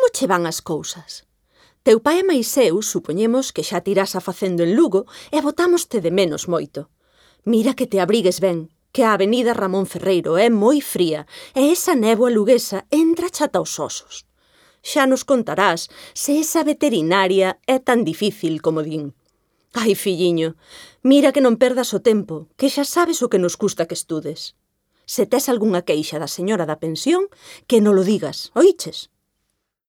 Como che van as cousas? Teu pai e máis eu supoñemos que xa tirás a facendo en Lugo e botámoste de menos moito. Mira que te abrigues ben, que a avenida Ramón Ferreiro é moi fría e esa néboa luguesa entra chata os osos. Xa nos contarás se esa veterinaria é tan difícil como din. Ai, filliño, mira que non perdas o tempo, que xa sabes o que nos custa que estudes. Se tes algunha queixa da señora da pensión, que non lo digas, oíches?